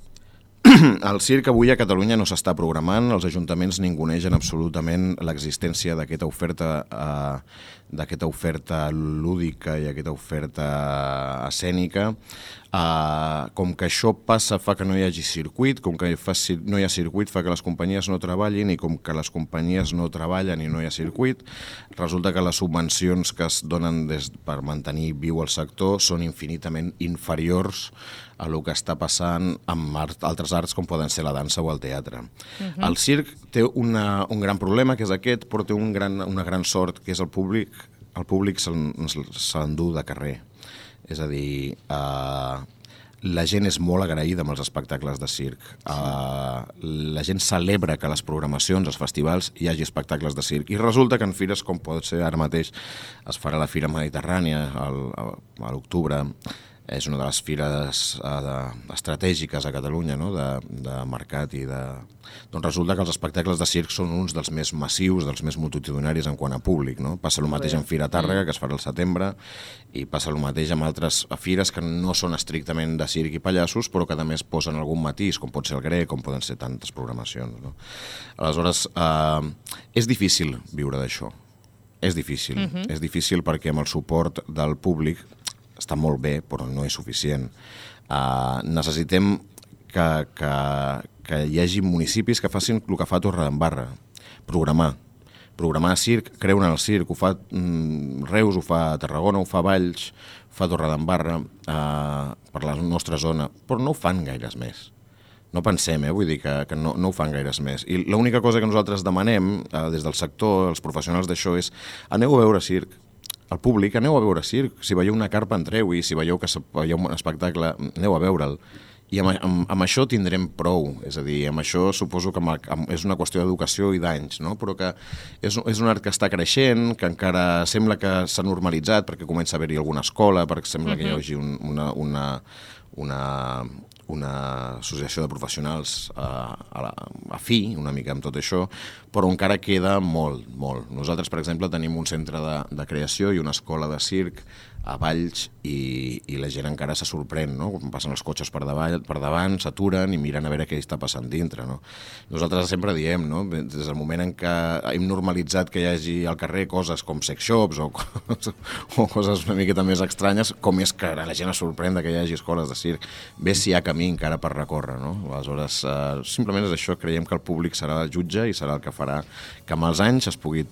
El circ avui a Catalunya no s'està programant, els ajuntaments ningunegen absolutament l'existència d'aquesta oferta, eh, d'aquesta oferta lúdica i aquesta oferta escènica. Uh, com que això passa fa que no hi hagi circuit, com que fa, no hi ha circuit fa que les companyies no treballin i com que les companyies no treballen i no hi ha circuit, resulta que les subvencions que es donen des, per mantenir viu el sector són infinitament inferiors a el que està passant amb art, altres arts com poden ser la dansa o el teatre. Uh-huh. El circ té una, un gran problema, que és aquest, però té un gran, una gran sort, que és el públic. El públic se l'endú de carrer. És a dir, uh, la gent és molt agraïda amb els espectacles de circ. Uh, la gent celebra que a les programacions, als festivals, hi hagi espectacles de circ. I resulta que en fires, com pot ser ara mateix, es farà la Fira Mediterrània al, a, a l'octubre, és una de les fires eh, estratègiques a Catalunya, no? de, de mercat i de... Doncs resulta que els espectacles de circ són uns dels més massius, dels més multitudinaris en quant a públic, no? Passa el mateix en Fira Tàrrega, que es farà al setembre, i passa el mateix amb altres fires que no són estrictament de circ i pallassos, però que també es posen algun matís, com pot ser el grec, com poden ser tantes programacions, no? Aleshores, eh, és difícil viure d'això. És difícil. Uh-huh. És difícil perquè amb el suport del públic està molt bé, però no és suficient. Uh, necessitem que, que, que hi hagi municipis que facin el que fa Torredembarra, programar. Programar circ, creure en el circ, ho fa mm, Reus, ho fa Tarragona, ho fa Valls, ho fa Torredembarra, uh, per la nostra zona, però no ho fan gaires més. No pensem, eh? Vull dir que, que no, no ho fan gaires més. I l'única cosa que nosaltres demanem eh, des del sector, els professionals d'això, és aneu a veure circ. El públic, aneu a veure circ. Si veieu una carpa, entreu-hi. Si veieu que veieu un espectacle, aneu a veure'l. I amb, amb, amb això tindrem prou. És a dir, amb això suposo que amb, amb, és una qüestió d'educació i d'anys, no? Però que és, és un art que està creixent, que encara sembla que s'ha normalitzat perquè comença a haver-hi alguna escola, perquè sembla uh-huh. que hi hagi un, una... una, una una associació de professionals a, a, la, a fi, una mica amb tot això, però encara queda molt, molt. Nosaltres, per exemple, tenim un centre de, de creació i una escola de circ a Valls i, i la gent encara se sorprèn, no? Quan passen els cotxes per davant, per davant s'aturen i miren a veure què està passant dintre, no? Nosaltres sempre diem, no? Des del moment en què hem normalitzat que hi hagi al carrer coses com sex shops o, o coses una miqueta més estranyes, com és que la gent es sorprèn que hi hagi escoles de circ. Bé si hi ha camí encara per recórrer, no? Aleshores, eh, simplement és això, creiem que el públic serà el jutge i serà el que farà que amb els anys es pugui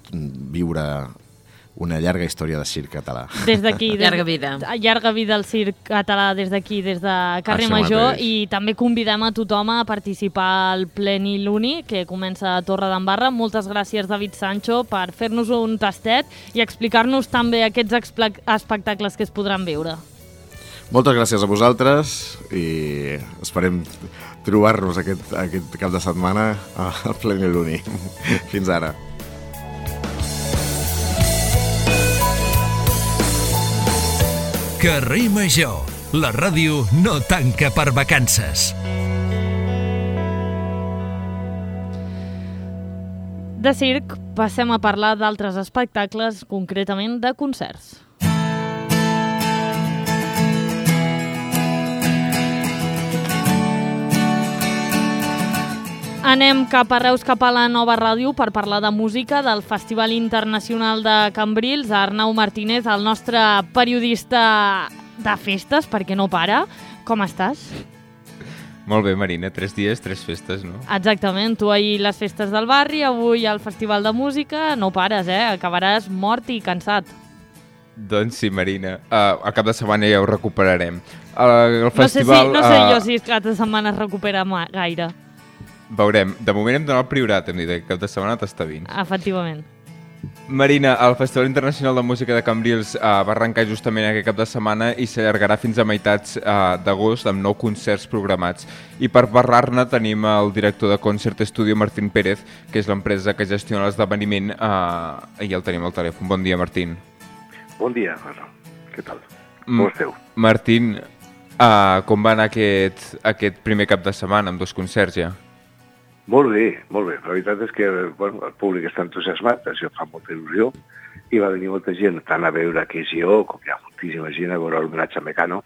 viure una llarga història de circ català. Des d'aquí... Des... Llarga vida. Llarga vida al circ català des d'aquí, des de Carrer Això Major, mateix. i també convidem a tothom a participar al Pleniluni, que comença a Torredembarra. Moltes gràcies, David Sancho, per fer-nos un tastet i explicar-nos també aquests espectacles que es podran veure. Moltes gràcies a vosaltres i esperem trobar-nos aquest, aquest cap de setmana al Pleniluni. Fins ara. Carrer Major, la ràdio no tanca per vacances. De circ passem a parlar d'altres espectacles, concretament de concerts. Anem cap a Reus, cap a la Nova Ràdio, per parlar de música del Festival Internacional de Cambrils. Arnau Martínez, el nostre periodista de festes, perquè no para. Com estàs? Molt bé, Marina. Tres dies, tres festes, no? Exactament. Tu ahir les festes del barri, avui el Festival de Música. No pares, eh? Acabaràs mort i cansat. Doncs sí, Marina. Uh, al cap de setmana ja ho recuperarem. Uh, el festival, no sé, si, no sé uh, jo si cap de setmana es recupera gaire. Veurem. De moment hem donat el priorat, hem dit que cap de setmana t'està vins. Efectivament. Marina, el Festival Internacional de Música de Cambrils uh, va arrencar justament aquest cap de setmana i s'allargarà fins a meitats uh, d'agost amb nou concerts programats. I per parlar-ne tenim el director de Concert Studio, Martín Pérez, que és l'empresa que gestiona l'esdeveniment, uh, i el tenim al telèfon. Bon dia, Martín. Bon dia, Arnau. Què tal? Com esteu? Martín, uh, com va anar aquest, aquest primer cap de setmana amb dos concerts ja? Molt bé, molt bé. La veritat és que bueno, el públic està entusiasmat, això fa molta il·lusió, i va venir molta gent tant a veure que és jo, com hi ha moltíssima gent a veure l'homenatge a Mecano,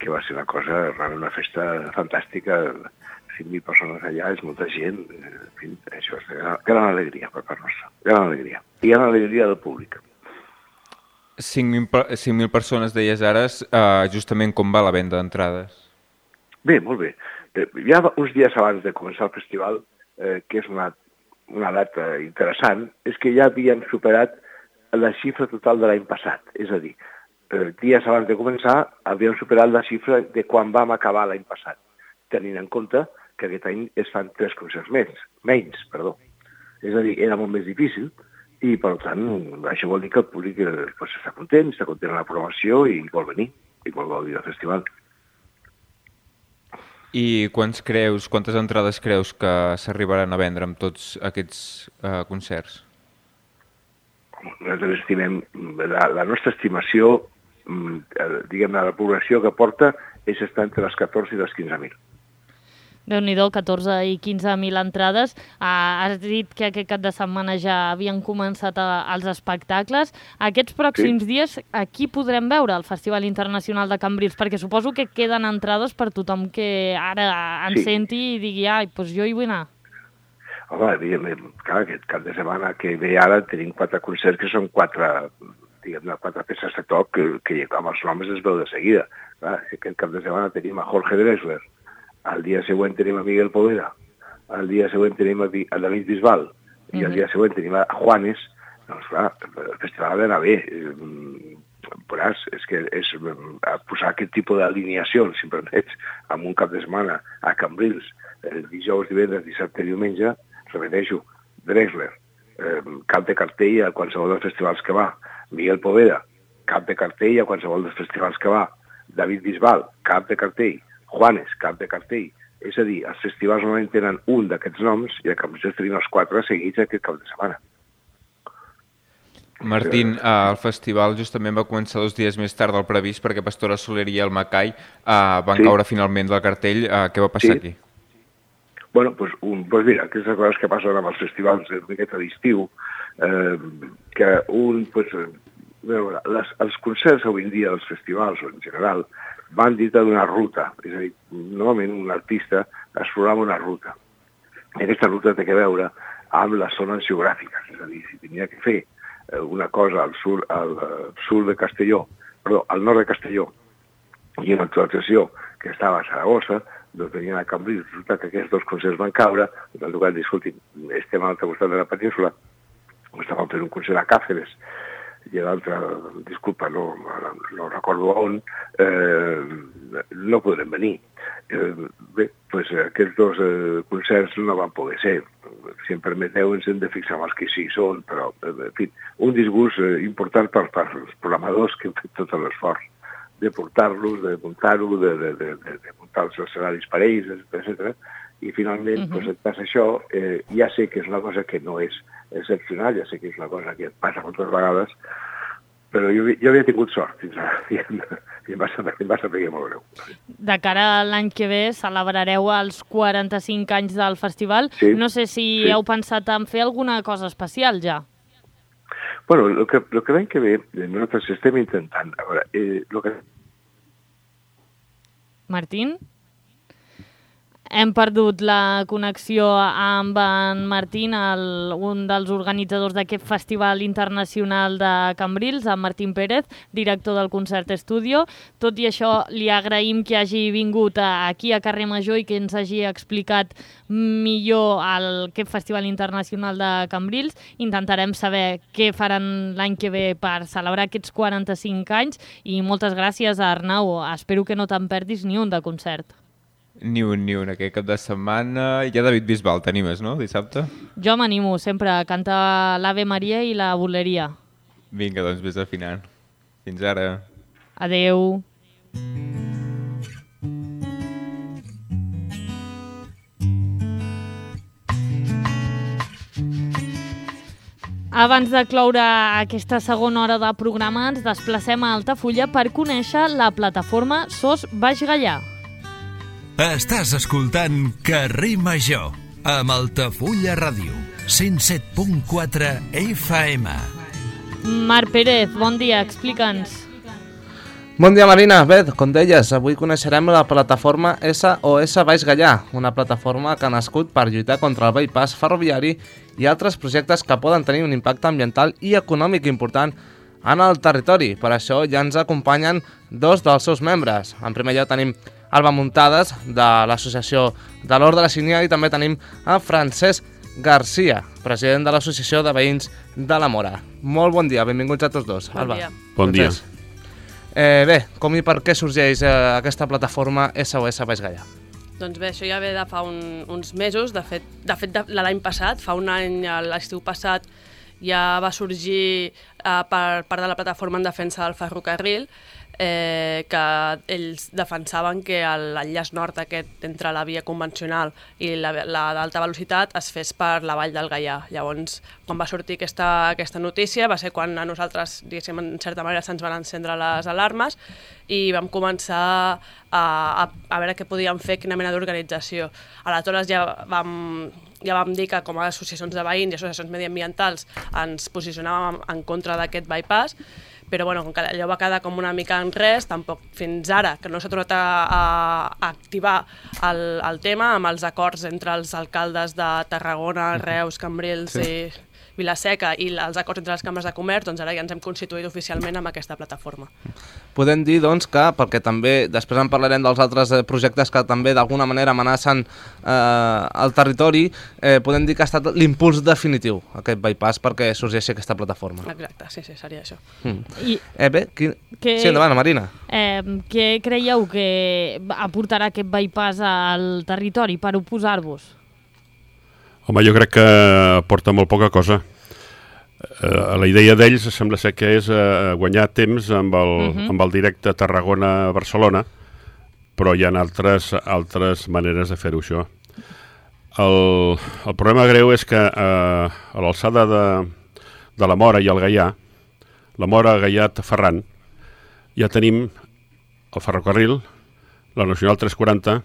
que va ser una cosa, una festa fantàstica, cinc mil persones allà, és molta gent, en fi, això és gran, gran alegria per part nostra, gran alegria. I gran alegria del públic. cinc mil persones, deies ara, uh, justament com va la venda d'entrades? Bé, molt bé. Eh, ja uns dies abans de començar el festival, eh, que és una, una data interessant, és que ja havíem superat la xifra total de l'any passat. És a dir, eh, dies abans de començar havíem superat la xifra de quan vam acabar l'any passat, tenint en compte que aquest any es fan tres concerts menys, menys, perdó. És a dir, era molt més difícil i, per tant, això vol dir que el públic eh, pues, està content, està content amb la programació i vol venir, i vol gaudir del festival. I quants creus, quantes entrades creus que s'arribaran a vendre amb tots aquests uh, concerts? Nosaltres estimem, la, la nostra estimació diguem-ne, la població que porta és estar entre les catorze i les quinze mil. Déu-n'hi-do, catorze i quinze mil entrades. Ah, has dit que aquest cap de setmana ja havien començat a, els espectacles. Aquests pròxims sí. dies, aquí podrem veure el Festival Internacional de Cambrils? Perquè suposo que queden entrades per tothom que ara en sí. senti i digui, ai, doncs jo hi vull anar. Home, evidentment, clar, aquest cap de setmana que ve ara tenim quatre concerts que són quatre, diguem-ne, quatre peces de toc que, que amb els noms es veu de seguida. Clar, aquest cap de setmana tenim a Jorge Drexler, al dia següent tenim a Miguel Poveda, al dia següent tenim a David Bisbal i uh-huh. al dia següent tenim a Juanes. Doncs clar, el festival ha d'anar bé. Veuràs, és que és posar aquest tipus d'alineacions, si em permets, en un cap de setmana a Cambrils, el dijous, divendres, dissabte i diumenge, repeteixo, Drexler, eh, cap de cartell a qualsevol dels festivals que va, Miguel Poveda, cap de cartell a qualsevol dels festivals que va, David Bisbal, cap de cartell, Juanes, cap de cartell. És a dir, els festivals normalment tenen un d'aquests noms i a Cambrils tenim els quatre seguits aquest cap de setmana. Martín, eh, el festival justament va començar dos dies més tard del previst perquè Pastora Soler i el Macai eh, van sí. caure finalment del cartell. Eh, què va passar sí. aquí? Bueno, doncs pues, pues mira, aquestes coses que passen amb els festivals d'aquest d'estiu, eh, que un, pues, veure, les, els concerts avui en dia dels festivals, o en general, van dintre d'una ruta, és a dir, normalment un artista es programa una ruta. I aquesta ruta té que veure amb les zones geogràfiques, és a dir, si tenia que fer una cosa al sud, al sud de Castelló, perdó, al nord de Castelló, i una actualització que estava a Saragossa, doncs venien a Cambrils, resulta que aquests dos concerts van caure, i han tocat dir, escolti, estem a l'altre costat de la península, estàvem fent un concert a Càceres, i l'altre, disculpa, no, no recordo on, eh, no podrem venir. Eh, bé, doncs aquests dos eh, concerts no van poder ser. Si em permeteu, ens hem de fixar en els que sí són, però, en fi, un disgust eh, important per, per als programadors que han fet tot l'esforç de portar-los, de muntar-ho, de, de, de, de muntar els escenaris per ells, etcètera. I finalment, uh-huh. doncs, et passa això, eh, ja sé que és una cosa que no és excepcional, ja sé que és una cosa que et passa moltes vegades, però jo, jo havia tingut sort fins ara, i em, i em va saber, em va saber molt greu. De cara a l'any que ve celebrareu els quaranta-cinc anys del festival. Sí, no sé si sí. heu pensat en fer alguna cosa especial ja. Bueno, el que, el que l'any que ve nosaltres estem intentant... A veure, eh, lo que... Martín? Hem perdut la connexió amb en Martín, el, un dels organitzadors d'aquest Festival Internacional de Cambrils, en Martín Pérez, director del Concert Estudio. Tot i això, li agraïm que hagi vingut aquí a Carrer Major i que ens hagi explicat millor el, aquest Festival Internacional de Cambrils. Intentarem saber què faran l'any que ve per celebrar aquests quaranta-cinc anys i moltes gràcies a Arnau. Espero que no te'n perdis ni un de concert. Ni un, ni un. Aquest cap de setmana hi ha David Bisbal, t'animes, no? Dissabte? Jo m'animo sempre a cantar l'Ave Maria i la Buleria. Vinga, doncs vés afinant. Fins ara. Adeu. Abans de cloure aquesta segona hora de programa, ens desplacem a Altafulla per conèixer la plataforma Sos Baix Gaià. Estàs escoltant Carrer Major amb Altafulla Ràdio, cent set punt quatre F M. Marc Pérez, bon dia, explica'ns. Bon dia, Marina. Bé, com deies, avui coneixerem la plataforma S O S Baix Gaià, una plataforma que ha nascut per lluitar contra el bypass ferroviari i altres projectes que poden tenir un impacte ambiental i econòmic important en el territori. Per això ja ens acompanyen dos dels seus membres. En primer lloc tenim Alba Muntades, de l'Associació de l'Hort de la Sínia, i també tenim a Francesc Garcia, president de l'Associació de Veïns de la Mora. Molt bon dia, benvinguts a tots dos. Bon Alba. dia. Bon dia. Eh, bé, com i per què sorgeix eh, aquesta plataforma S O S Baix Gaià? Doncs bé, això ja ve de fa un, uns mesos, de fet, de fet de, l'any passat, fa un any, l'estiu passat, ja va sorgir eh, per part de la plataforma en defensa del ferrocarril. eh, que ells defensaven que l'enllaç nord aquest entre la via convencional i la, la d'alta velocitat es fes per la vall del Gaià. Llavors, quan va sortir aquesta, aquesta notícia, va ser quan a nosaltres, diguéssim, en certa manera se'ns van encendre les alarmes i vam començar a, a, a veure què podíem fer, quina mena d'organització. Aleshores ja vam, ja vam dir que com a associacions de veïns i associacions mediambientals ens posicionàvem en contra d'aquest bypass, però bueno, com que allò va quedar com una mica en res, tampoc fins ara, que no s'ha tornat a, a, a activar el, el tema amb els acords entre els alcaldes de Tarragona, Reus, Cambrils sí. i Vila-seca i els acords entre les cambres de comerç, doncs ara ja ens hem constituït oficialment amb aquesta plataforma. Podem dir, doncs, que, perquè també després en parlarem dels altres projectes que també d'alguna manera amenacen eh, el territori, eh, podem dir que ha estat l'impuls definitiu, aquest bypass, perquè sorgeixi aquesta plataforma. Exacte, sí, sí, seria això. Mm. I eh, bé, qui... que... Sí, endavant, Marina. Eh, què creieu que aportarà aquest bypass al territori per oposar-vos? Home, jo crec que aporta molt poca cosa. Uh, la idea d'ells sembla ser que és uh, guanyar temps amb el, uh-huh. amb el directe Tarragona-Barcelona, però hi ha altres, altres maneres de fer-ho, això. El, el problema greu és que uh, a l'alçada de, de la Mora i el Gaià, la Mora, Gaià, Ferran, ja tenim el ferrocarril, la Nacional tres quaranta,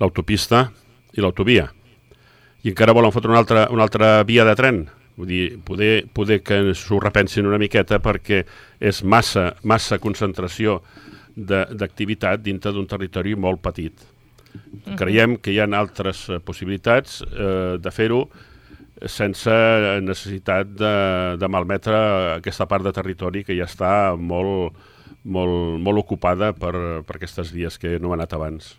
l'autopista i l'autovia. I encara volen fotre una altra, una altra via de tren. Vull dir, poder, poder que s'ho repensin una miqueta perquè és massa, massa concentració d'activitat dintre d'un territori molt petit. Uh-huh. Creiem que hi ha altres possibilitats eh, de fer-ho sense necessitat de, de malmetre aquesta part de territori que ja està molt, molt, molt ocupada per, per aquestes vies que no han anat abans.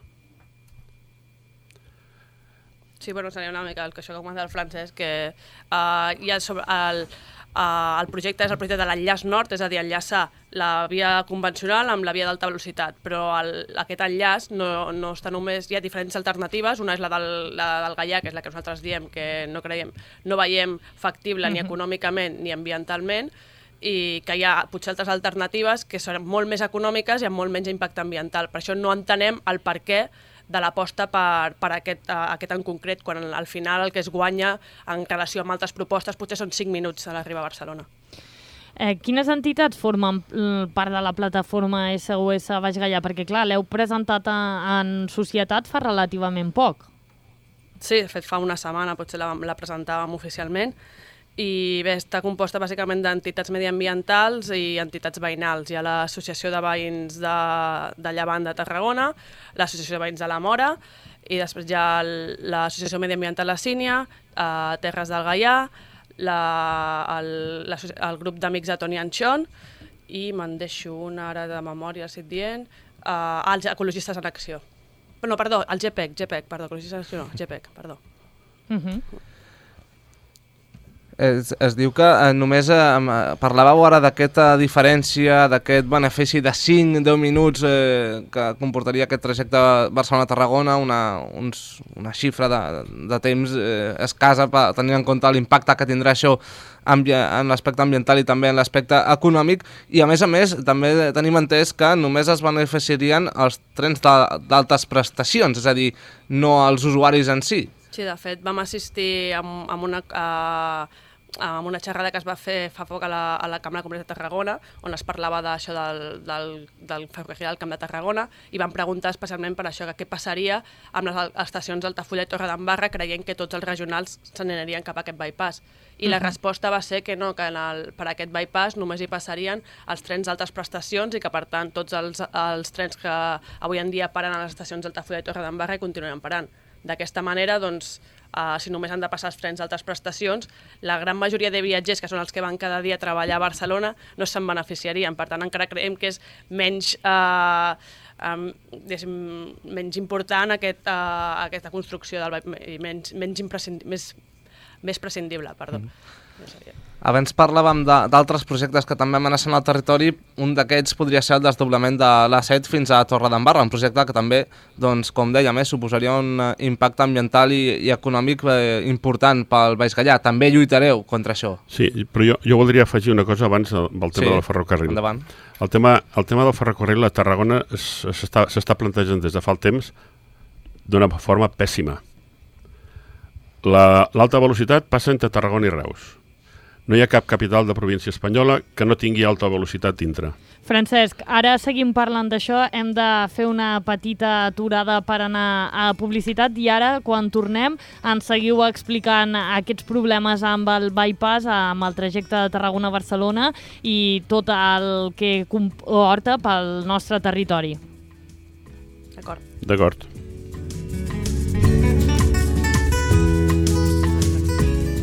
Sí, bueno, seria una mica el que això que comenta el Francesc, que uh, hi ha sobre el, uh, el projecte és el projecte de l'enllaç nord, és a dir, enllaçar la via convencional amb la via d'alta velocitat, però el, aquest enllaç no, no està només... Hi ha diferents alternatives, una és la del, la del Gaià, que és la que nosaltres diem que no creiem, no veiem factible ni econòmicament ni ambientalment, i que hi ha potser altres alternatives que són molt més econòmiques i amb molt menys impacte ambiental. Per això no entenem el per què de l'aposta per, per aquest, uh, aquest en concret, quan al final el que es guanya en relació amb altres propostes potser són cinc minuts a l'arribar a Barcelona. Eh, quines entitats formen part de la plataforma S O S Baix Gaià? Perquè, clar, l'heu presentat a, en societat fa relativament poc. Sí, de fet, fa una setmana potser la, la presentàvem oficialment, i bé, està composta bàsicament d'entitats mediambientals i entitats veïnals. Hi ha l'Associació de Veïns de, de Llevant de Tarragona, l'Associació de Veïns de la Mora, i després hi ha l'Associació Mediambiental La Sínia, eh, Terres del Gaià, la, el, la, el grup d'amics de Toni Anxon, i me'n deixo una ara de memòria, si et dient, eh, els Ecologistes en Acció. No, perdó, el G P E C, G P E C, perdó, Ecologistes en Acció no, G P E C, perdó. Uh-huh. Es, es diu que eh, només eh, parlàveu ara d'aquesta diferència, d'aquest benefici de cinc a deu minuts eh, que comportaria aquest trajecte Barcelona-Tarragona, una, uns, una xifra de, de temps eh, escassa per tenir en compte l'impacte que tindrà això en l'aspecte ambiental i també en l'aspecte econòmic, i a més a més també tenim entès que només es beneficiarien els trens d'altes prestacions, és a dir, no els usuaris en si. Sí, de fet, vam assistir a, a una... A... amb una xerrada que es va fer fa poc a la, a la Cambra de Comerç de Tarragona, on es parlava d'això del, del, del ferrocarril del Camp de Tarragona, i van preguntar especialment per això, que què passaria amb les estacions d'Altafulla i Torredembarra, creient que tots els regionals se n'anirien cap a aquest bypass. I la uh-huh. resposta va ser que no, que en el, per aquest bypass només hi passarien els trens d'altes prestacions i que, per tant, tots els, els trens que avui en dia paren a les estacions d'Altafulla i Torredembarra i continuen parant. D'aquesta manera, doncs, Uh, si només han de passar els trens d'altes prestacions, la gran majoria de viatgers, que són els que van cada dia a treballar a Barcelona, no se'n beneficiarien. Per tant, encara creiem que és menys, uh, um, menys important aquest, uh, aquesta construcció del, i menys, menys imprescindible, més, més prescindible. Perdó. Mm. Abans parlàvem d'altres projectes que també amenacen el territori. Un d'aquests podria ser el desdoblament de l'A set fins a Torredembarra, un projecte que també, doncs, com dèiem, eh, suposaria un impacte ambiental i, i econòmic eh, important pel Baix Gallà. També lluitareu contra això. Sí, però jo, jo voldria afegir una cosa abans del tema sí, del ferrocarril. Endavant. El tema, el tema del ferrocarril a Tarragona s'està plantejant des de fa el temps d'una forma pèssima. L'alta velocitat passa entre Tarragona i Reus. No hi ha cap capital de província espanyola que no tingui alta velocitat dintre. Francesc, ara seguim parlant d'això, hem de fer una petita aturada per anar a publicitat i ara, quan tornem, ens seguiu explicant aquests problemes amb el bypass, amb el trajecte de Tarragona-Barcelona i tot el que comporta pel nostre territori. D'acord. D'acord.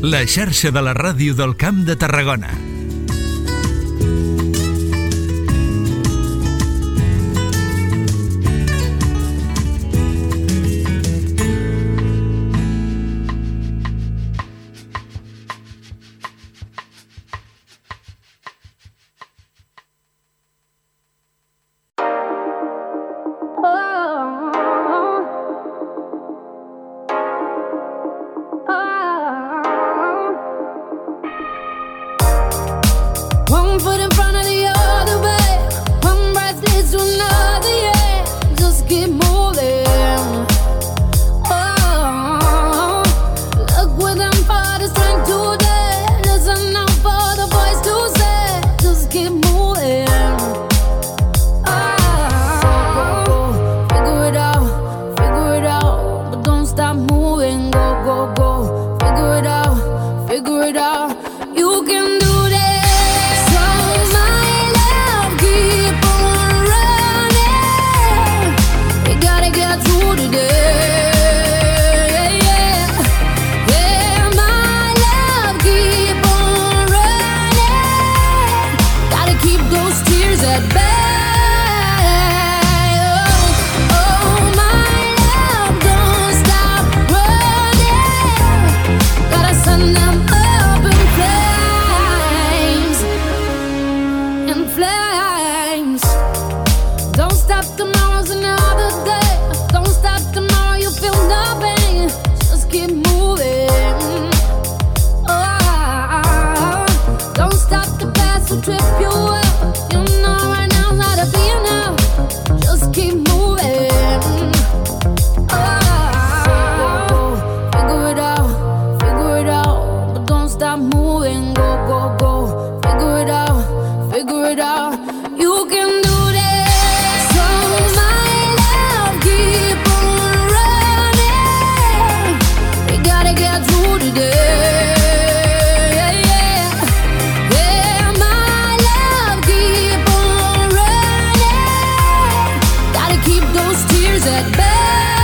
La xarxa de la ràdio del Camp de Tarragona. Keep those tears at bay.